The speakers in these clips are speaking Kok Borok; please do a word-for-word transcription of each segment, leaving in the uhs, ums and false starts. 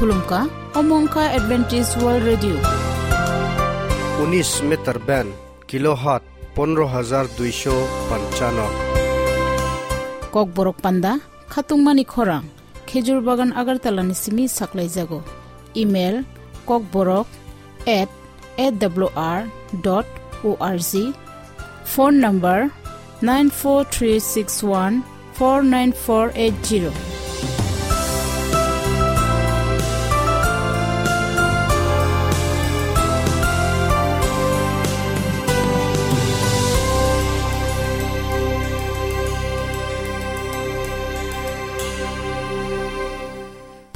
Khulumkha, omo wngkha Adventist World Radio. Unis meter band, kilohertz pondro hajar duisho panchano. Kokborok panda, khatungmani khorang, Khejur Bagan Agartala ni simi saklaijago. Email, kokborok at A W R dot O R G. Phone number nine four three six one four nine four eight zero.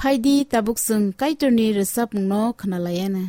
Phaidi tabuk chwng Kaitorni rwchapmungno khwnalaiana.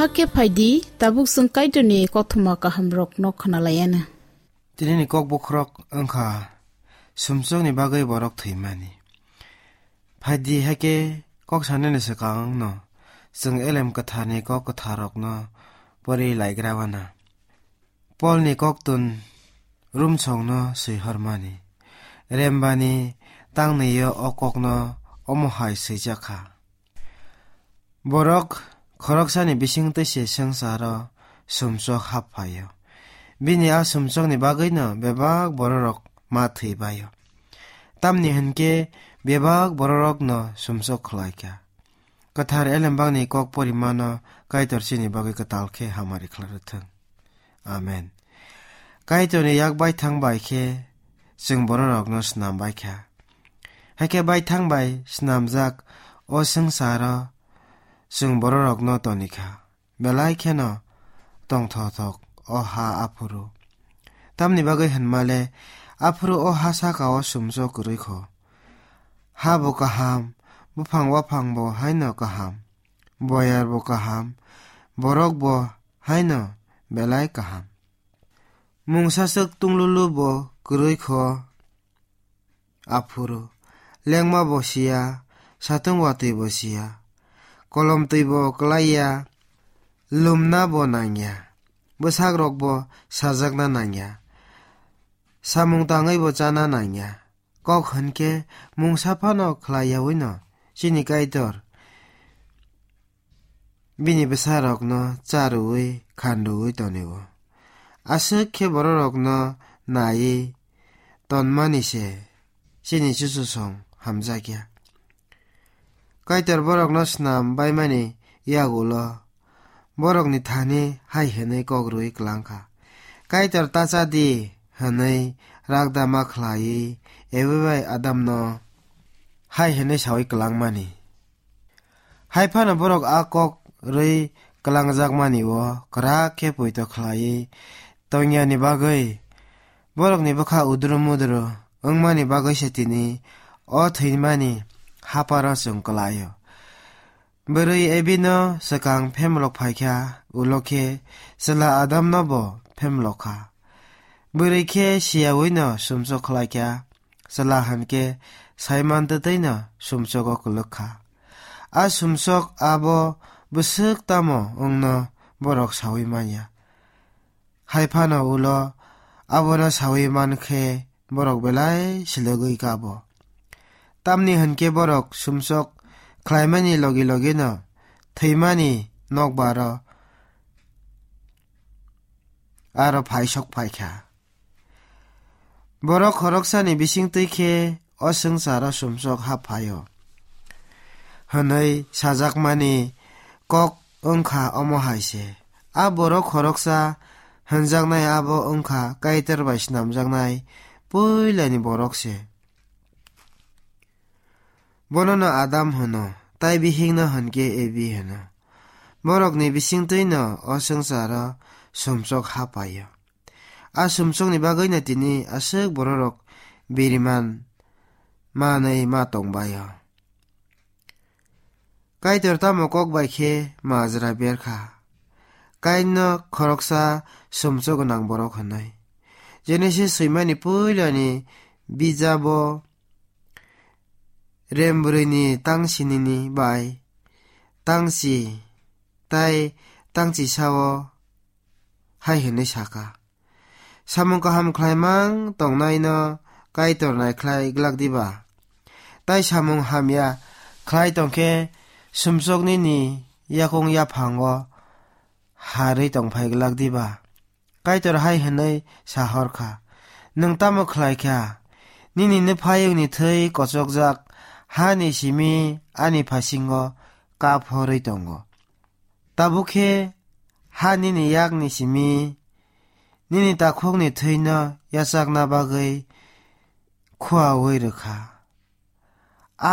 Hakhe phaidi, tabuk chwng Kaitorni kothoma kahamrokno khwnalaianw. Tinini kok bokhorok wngkha sumsokni bagwi borok thwimani. Phaidi, hakhe kok sanani swkangno chwng Elem Kwtharni kok kwtharrokno pori laigra wana. Polni koktun Rumsongno swihormani. Rembani tangni-o o kokno omo hai swijak kha. Borok khoroksani bisingtwi se swngcharo sumsok hap phaio. Bini a sumsokni bagwino bebak bororok ma thwi baio. Tamni hwnkhe bebak bororokno sumsok khlai kha. Kwthar Elembakni kok porimano Kaitor chini bagwi kwtal khe hamari khlai rwthwng. Amen. Kaitorni yak baithang bai khe chwng bororokno snam bai kha. Hakhe baithang bai snamjak o swngcharo chwng bororokno toni kha. Belai kheno tongthothok o ha aphuru. Tamni bagwi hwnmale aphuru o ha saka-o sumsok kwrwi kho. Ha bo kaham, buphang waphang bo haino kaham, boyar bo kaham, borok bo haino belai kaham. Mungsaswk tunglulu bo kwrwi kho aphuru. Lengma bo siya, satung watwi bo siya, kolom twi bo klai ya, lumna bo nang ya, bwsak rok bo sajakna nang ya, samung tangwi bo chana nang ya. Kok hwn khe mungsa phano khlai yaui no chini Kaitor bini bwsarokno cha rwui khan rwui tonio. Aswk khe bororokno naiwi tonmani se chini chuchusong hamjakya. Kaitor borokno snam baimani yagulo borokni thani hai hwnwi kok rwui klang kha. Kaitor ta cha di hwnwi ragda ma khlaiwi Evi bai Adamno hai hwnwi saui klangmani. Hai phano borok a kok rwi klangjakmani-o kwrak khe poito khlaiwi tongyani bagwi borokni bwkha udru mudru wngmani bagwi se tini o thwimani haparo chwng klai-o. Bwrwi Evino swkang phemlok phaikha, ulo khe chwla Adamno bo phemlok kha. Bwrwi khe siyaui no sumsok khlai kha, chwla hwn khe saiman twtwi no sumsogo kwlwk kha. A sumsok abo bwswk tamo wngno borok saui manya. Hai phano ulo abono saui man khe borok belai silogwi kabo. Tamni hwn khe borok sumsok khlaimani logi logi no thwimani nokbaro aro phaisok phai kha. Borok khoroksani bisingtwi khe o swngcharo sumsok hap phaio hwnwi sajakmani kok wngkha omo hai se. A borok khoroksa hwnjaknai abo wngkha Kaitor bai snamjaknai puilani borok se. Bonono Adam hwno, tai bihikno hwnkhe Evi hwno. Borokni bisingtwino o swngcharo sumsok hap phaio. A sumsokni bagwino tini aswk bororok biriman manwi ma tongbaio. Kaitor tamo kok bai khe majra ber kha. Kainno khoroksa sumsok gwnang borok hwnwi. Genesis swimani puilani bijabo rem bwrwini tang sinini bai tang si tai tang chisao hai hwnwi sa kha, "Samung kaham khlaimang tongnaino Kaitor naikhlai glak diba? Tai samung hamya khlai tong khe sumsok nini yakung yaphango harwi tongphai glak diba?" Kaitor hai hwnwi sa hor kha, "Nwng tamo khlai kha? Nini nuphayungni thwi kochokjak hani simi ani phasingo kap horwi tongo. Tabuk khe ha nini yakni simi nini takhukni thwino yachakna bagwi khuaui rw kha.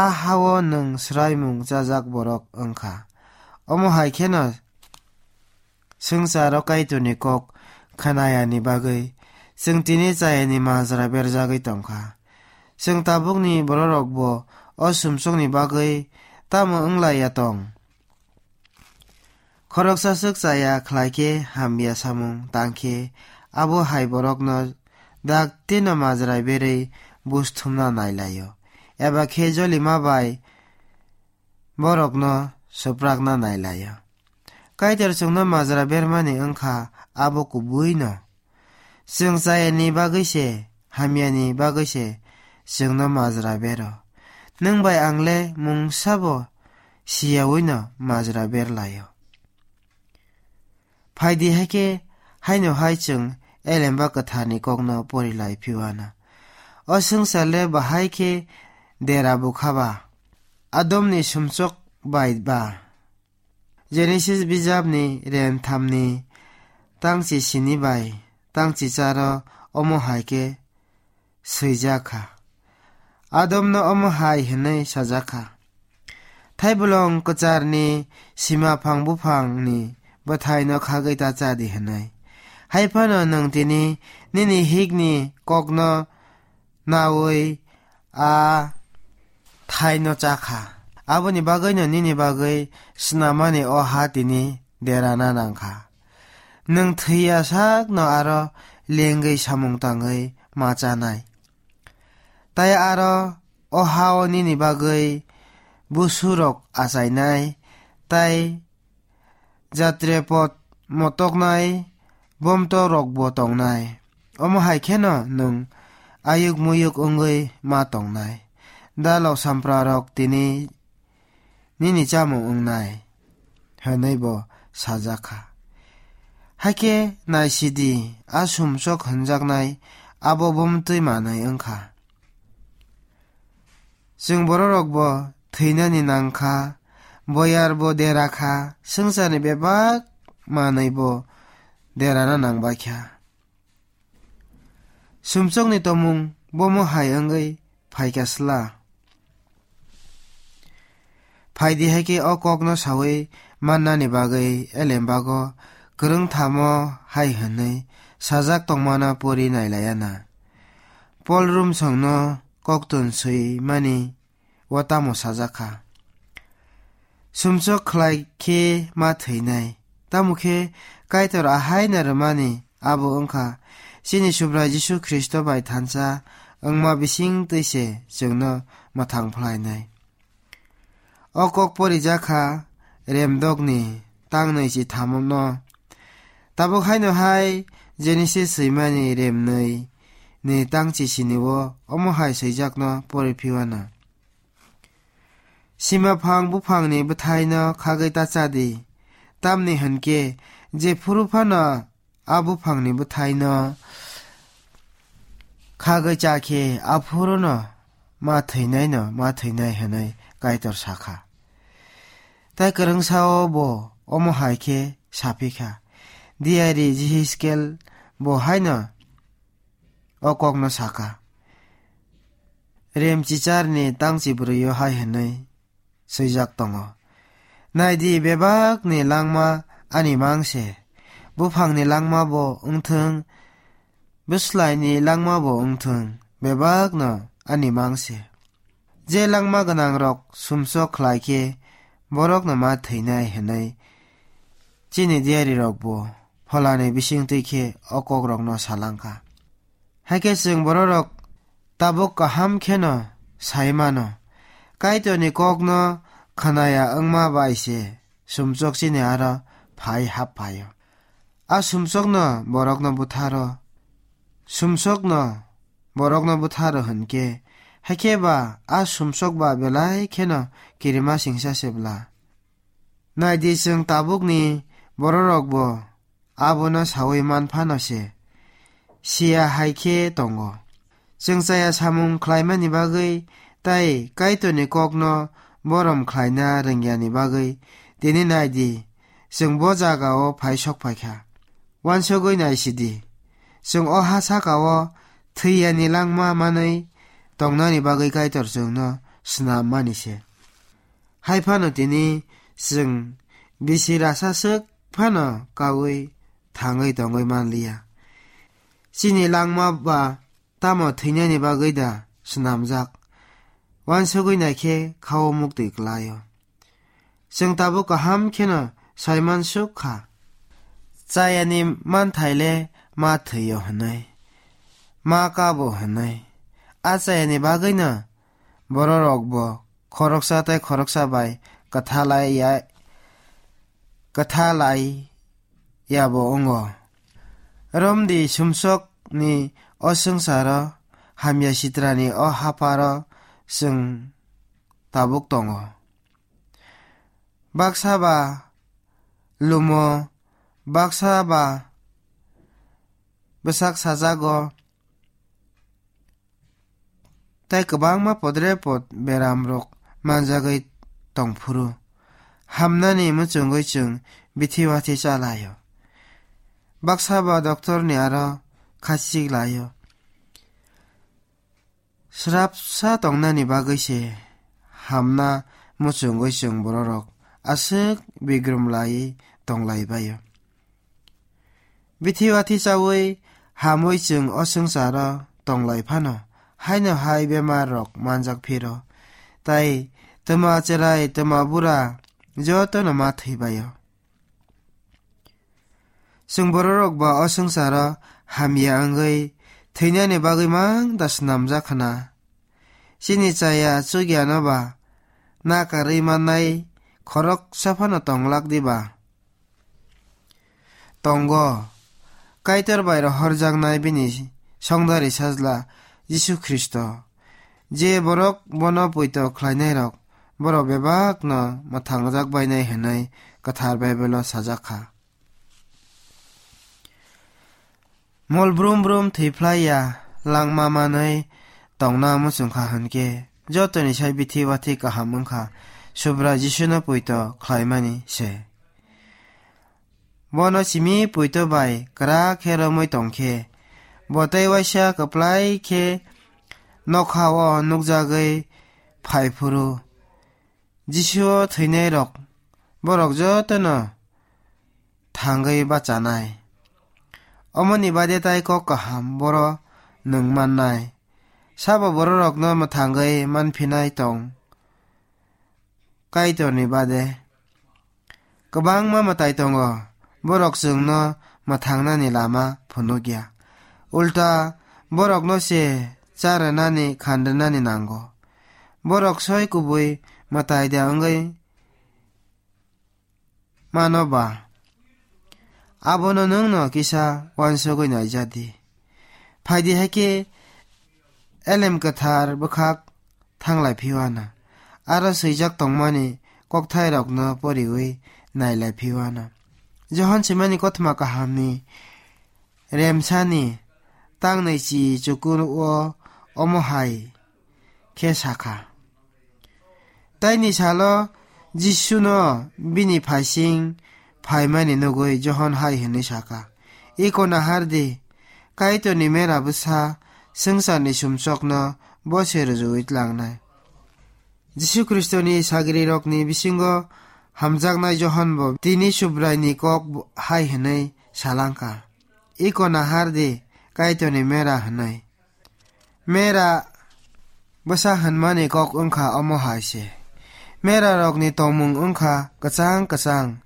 A ha-o nwng swraimung chajak borok wng kha." Omo hai kheno swngcharo Kaitorni kok khnayani bagwi chwng tini chayani majra berjagwi tong kha. Chwng tabukni bororokbo o sumsokni bagwi tamo wng lai ya tong? Khoroksa swk chaya khlai khe hamya samung tang khe, abo hai borokno daktino majra berwi buj thumna nai lai-o, eba khe jolima bai borokno swprakna nai lai-o. Kaitor chwngno majra bermani wng kha abo kubui'-no. Chwng chayani bagwi se, hamyani bagwi se chwngno majra bero. Nwng bai ang le mungsa bo siyaui'-no majra ber lai-o. Phai di, hai khe haino hai chwng Elemba Kwtharni kokno pori lai phiuanw. O swngchar le bahai khe dera bukha ba, Adomni sumsok bai ba? Genesis bijapni rem thamni tangchi sini bai tangchi charo omo hai khe swijak kha. Adomno omo hai hwnwi sajak kha, "Thaibolong kwcharni sima phang buphangni bwthaino khagwi ta cha di," hwnwi. Hai phano nwng tini nini hikni kokno naui a thaino cha kha. Aboni bagwino nini bagwi snamani o ha tini derana nang kha. Nwng thwi ya sakno aro lengwi samung tangwi ma chanai. Tai aro o ha-o nini bagwi busurok achainai, tai jatrepot motoknai bomto rokbo tongnai. Omo hai kheno nwng ayuk muyuk wngwi ma tongnai. Dalok sampra rok tini nini chamung wngnai, hwnwi bo sajak kha. Hakhe naisidi, a sumsok hwnjaknai abo bomtwi manwi wng kha. Chwng bororokbo thwinani nang kha, boyarbo dera kha, swngcharni bebak manwibo derana nang bai kha. Sumsokni tomung bomo hai wngwi phai kha sla. Phai di, hai khe o kokno saui mannani bagwi Elembago kwrwngthamo hai hwnwi sajak tongmano pori nai laiya na. Pol Rumsongno koktun swi mani o tamo sajak kha? Sumsok khlai khe ma thwinai. Tamo khe Kaitor ahaino rwmani abo wng kha chini Subrai Jisu Khristo bai thansa wngma bising twi se chwngno mwthang phlainai. O kok porijak kha Remdokni tangnwi chi thamno. Tabuk haino hai Genesis swimani remnwi ni tangchi sini-o omo hai swijakno pori phiuanw. Sima phang buphangni bwthaino khagwi ta cha di, tamni hwn khe jephuru phano a buphangni bwthaino khagwi cha khe, aphuruno ma thwinaino ma thwinai hwnwi Kaitor sa kha. Tai kwrwngsa-o bo omo hai khe sa phi kha. Diyari Jihiskel bo haino o kokno sa kha. Remchicharni tangchi brwi-o hai hwnwi swijak tongo, "Nai di, bebakni langma ani mang se, buphangni langma bo wng thung, bwslaini langma bo wng thung, bebakno ani mang se. Je langma gwnangrok sumsok khlai khe, borokno ma thwinai," hwnwi chini diyarirokbo pholani bising twi khe o kokrokno sa lang kha. Hakhe chwng bororok tabuk kaham kheno sai mano, Kaitorni kokno khwnaya wngma bai se sumsok chini aro phai hap phaio. A sumsokno borokno butharo, sumsokno borokno butharo hwn khe, hakhe ba a sumsok ba belai kheno kirima singsa se bla. Nai di, chwng tabukni bororokbo abono saui man phano se siya hai khe tongo. Chwng chaya samung khlaimani bagwi tai Kaitorni kokno borom khlaina rwngyani bagwi tini nai di, chwng bo jaga-o phai sok phai kha. Uansugwi nai si di, chwng o ha saka-o thwi yani langma manwi tongnani bagwi Kaitor chwngno snam mani se. Hai phano tini chwng bisi rasa swk phano kaui thangwi tongwi man liya. Chini langma ba tamo thwinani bagwi da snamjak? Uansugwi nai khe kha-o muktwi klai-o. Chwng tabuk kaham kheno saimansuk kha. Chayani manthai le ma thwio hwnwi, ma kabo hwnwi. A chayani bagwino bororokbo khoroksa tei khoroksa bai kwthalai ya, kwthalai yabo wngo. Romdi sumsokni o swngcharo, hamya sitrani o hapharo chwng tabuk tongo. Baksa ba lumo, baksa ba bwsak sajago, tei kwbangma podrepot beramrok manjagwi tongphuru, hamnani muchungwi chwng bithi wathi chalaio. Baksa ba doctorni aro khachik laio. Srapsa tongnani bagwi se hamna muchungwi chwng bororok aswk bigrum lai tonglai baio. Bithi wathi chawi hamwi chwng o swngcharo tonglai phano, haino hai bemar rok manjak phiro, tai twma cherai twma bura jotono ma thwi baio. Chwng bororok ba o swngcharo hamya wngwi thwinani bagwi mang da snamjak khna. Chini chaya chugyano ba nakarwi mannai khoroksa phano tonglak diba? Tongo, Kaitor bai rohorjaknai bini songdari sajla Jisu Khristo, je borok bono poito khlainairok, borok bebakno mwthangjak bainai hwnwi Kwthar Baibelo sajak kha. Mol brum brum thwi phlai ya, langma manwi tongna muchung kha hwn khe, jotoni sai bithi wathi kaham wng kha, Subrai Jisuno poito khlaimani se. Bono simi poito bai kwrak khe romwi tong khe, bo tei waisa kwplai khe nokha-o nukjagwi phai phuru, Jisuo thwinairok borok jotono thangwi bachanai. Omoni bade tai kok kaham boro nwng mannai. Sabo bororokno mwthangwi manphinai tong Kaitorni bade. Kwbangma mwtai tongo, borok chwngno mwthangnani lama phunukya. Ulta, borokno se cha rwnani, khan rwnani nango. Borok soi kubui mwtai da wngwi mano ba? Abono nwngno kisa uansugwi naija di. Phai di hai khe Elem Kwthar bwkhak thanglai phiwana, aro swijak tongmani kokthairokno poriwi nailai phiwana. Johon swimani kothoma kahamni remsani tangnwi chi chuku-o omo hai khe sakha. Taini salo Jisuno bini phaising phaimani nugwi Johon hai hwnwi sakha, "Iko nahar di, Kaitorni mera bwsa swngcharni sumsokno bo se rwjui tlangnai." Jisu Khristoni sagrirokni bisingo hamjaknai Johon bo tini Subraini kok hai hwnwi salangkha, "Iko nahar di, Kaitorni mera," hwnwi. Mera bwsa hwnmani kok wngkha omo hai se. Mera rokni tongmung wngkha kwchang kwchang.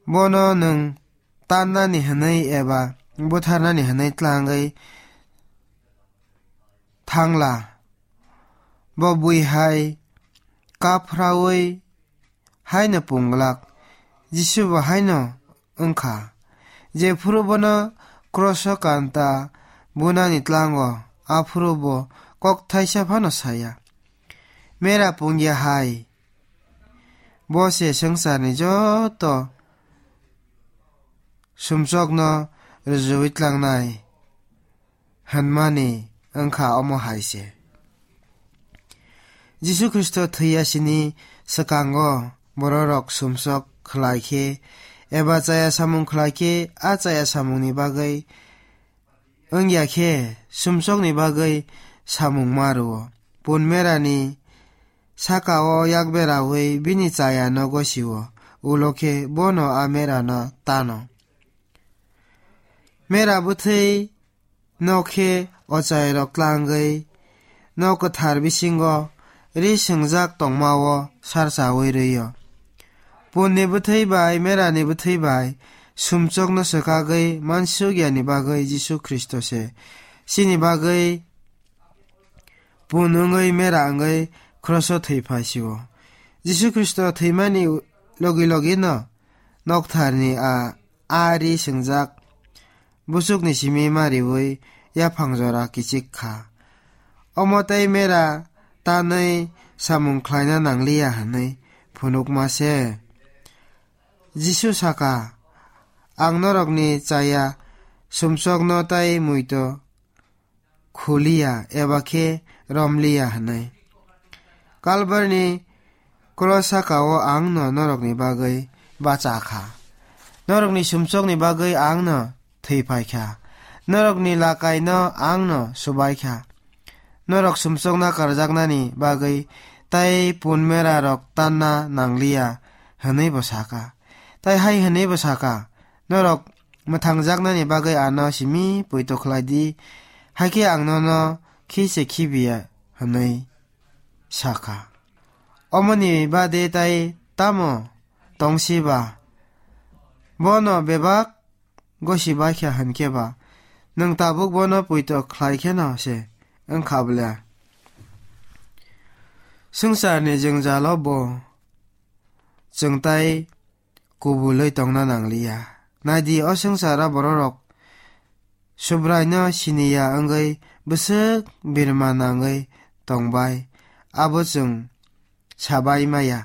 Bono nwng tannani hwnwi eba butharnani hwnwi tlangwi thangla. Bo bui hai kaphraui haino punglak. Jisu bo haino wngkha. Jephuru bono kroso kanta bunani tlango, aphuru bo kok thaisa phano saya. Mera pungya hai. Bo se swngcharni joto sumsokno rwjagwi tlangnai hwnmani wngkha omo hai se. Jisu Khristo thwiya sini swkango bororok sumsok khlai khe eba chaya samung khlai khe, a chaya samungni bagwi wngya khe sumsokni bagwi samung ma rwo. Pun merani saka-o yak beraui bini chayano gosio, ulo khe bono a merano tano. Mera bwthwi nok khe ochairok tlangwi nok kwthar bisingo ri swngjak tongma-o sarchaui rw-o. Punni bwthwi bai, merani bwthwi bai sumsokno swkagwi mansukya ni bagwi Jisu Khristo se chini bagwi pun wngwi mera wngwi kroso thwi phai sio. Jisu Khristo thwimani logi logi no noktharni a ari swngjak buchukni simi mariwi yaphang jora kichik kha. Omo tei mera tanwi samung khlaina nangliya hwnwi phunukma se. Jisu saka, "Ang norokni chaya sumsokno tei muito khuliya eba khe romliya," hwnwi. Kalbarni kros saka-o ang no norokni bagwi bacha kha. Norokni sumsokni bagwi ang no thwi phai kha. Norokni lakai no ang no subai kha. Norok sumsokna karjaknani bagwi tei pun mera rok tanna nangliya, hwnwi bo saka. Tai hai hwnwi bo saka, "Norok mwthangjaknani bagwi ano simi poito khlai di, hai khe ang nono khi se khibiya," hwnwi sakha. Omoni bade tai tamo tongsi ba? Bono bebak gosi baikha hwn khe ba, nwng tabuk bono poito khlai kheno se wngkha bwle? Swngcharni jwngjalo bo chwng tai kubulwi tongna nangliya. Naidi, o swngcharo bororok Subraino siniya wngwi bwswk birma nangwi tongbai, abo chwng sabai maya.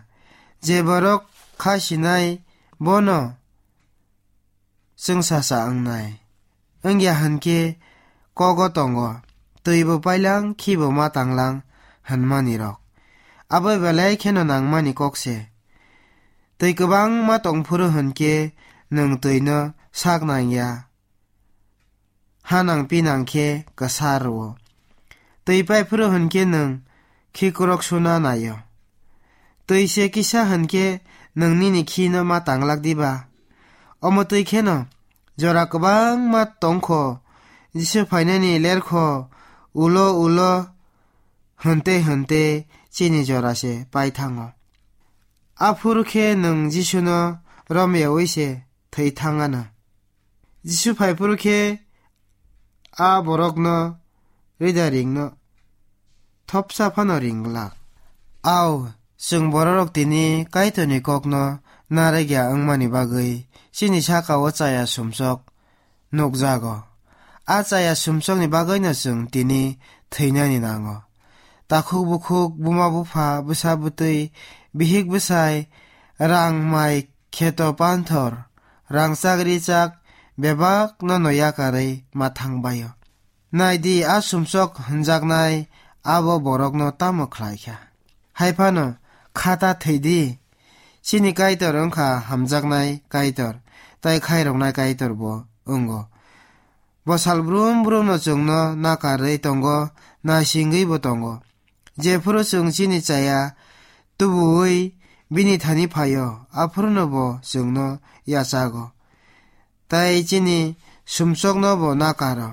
Je borok kha sinai, bono chwngsacha wngnai. Wngya hwn khe kogo tongo, twi bo pailang, khi bo ma tanglang hwnmani rok. Abo belai kheno nangmani kok se. Twi kwbangma tong phuru hwn khe nwng twino sak nang ya. Ha nang pi nang khe kwsa rwo. Twi pai phuru hwn khe nwng khi kwrwk suna naio. Twi se kisa hwn khe nwng nini khino ma tanglak diba? Omo twi kheno jora kwbangma tongkho, Jisu phainani lerkho ulo ulo hwnte hwnte chini jora se pai thango. Aphuru khe nwng Jisuno romyaui se thwi thang anw. Jisu phai phuru khe a borokno rida ringno thopsa phano ring glak. Au, chwng bororok tini Kaitorni kokno narwkya wngmani bagwi chini saka-o chaya sumsok nukjago. A chaya sumsokni bagwino chwng tini thwinani nango. Takhuk bukhuk, buma bupha, bwsa bwtwi, bihik bwsai, rang mai, kheto panthor, rangchak richak, bebakno no yakarwi ma thangbaio. Naidi, a sumsok hwnjaknai abo borokno tamo khlaikha? Hai phano kha ta thwi di. Chini Kaitor wngkha hamjaknai Kaitor, tai khairoknai Kaitor bo wngo. Bo sal brum brumno chwngno nakarwi tongo, naisingwi bo tongo. Jephuru chwng chini chaya tubuwi bini thani phaio, aphuruno bo chwngno yachago. Tai chini sumsokno bo nakaro.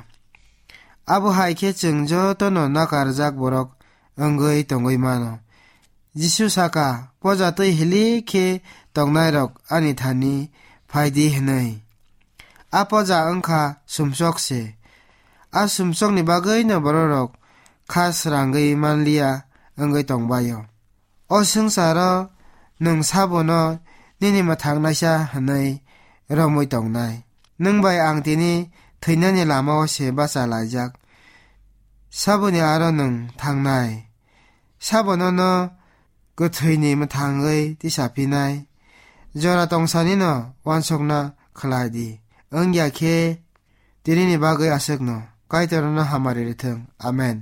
Abo hai khe chwng jotono nakarjak borok wngwi tongwi mano. Jisu saka, "Poja twi hilik khe tongnairok ani thani phai di," hwnwi. A poja wngkha sumsok se. A sumsokni bagwino bororok kha srangwi manliya wngwi tongbaio. O swngcharo nwng sabono nini mwthangnaisa hwnwi romwi tongnai. Nwng bai ang tini thwinani lama-o se bacha laijak. Saboni aro nwng thangnai. Sabono no kwthwini mwthangwi tisaphinai. Jora tongsanino uansukna khlai di. Wngya khe tinini bagwi aswkno. Kaitor no hamari rwthwng. Amen.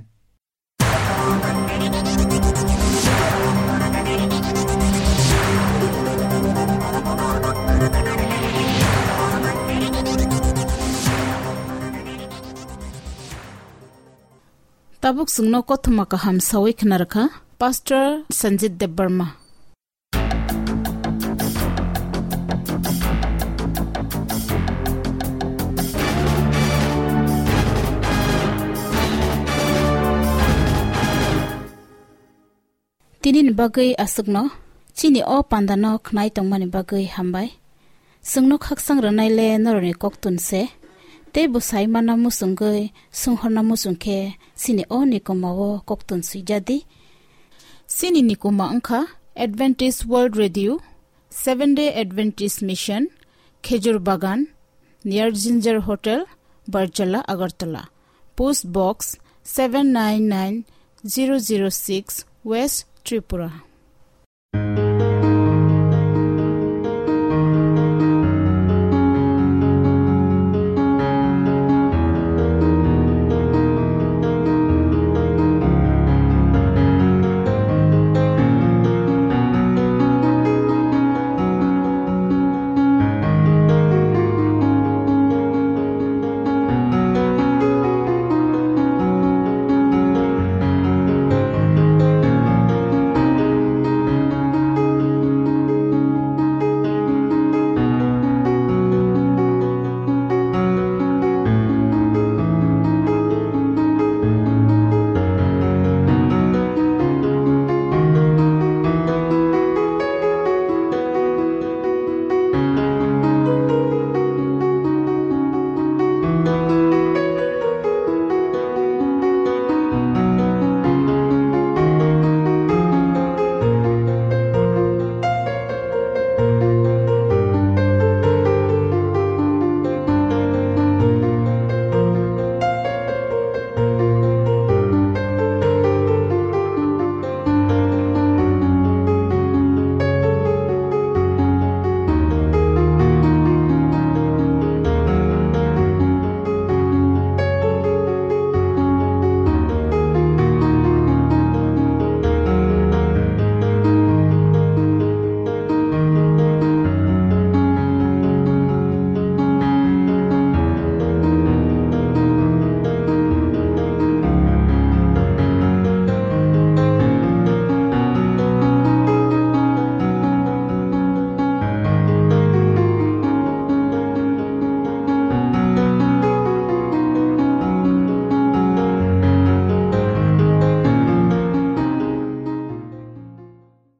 Tabuk chwngno kothoma kaham sawi khna rwkha Pastor Sanjit Debbarma. Tinini bagwi aswkno Chini o pandano khnai tongmani bagwi hambai. Chwngno khakchang rwnaile norokni koktun se. Tei bwsai mana muchungwi swnghorna muchung khe chini o nikomao koktun swijadi. Chini nikoma wngkha Adventist World Radio, Seventh Day Adventist Mission, Khejur Bagan, near Ginger Hotel, Barjala, Agartala. Post Box seven nine nine zero zero six, West Tripura.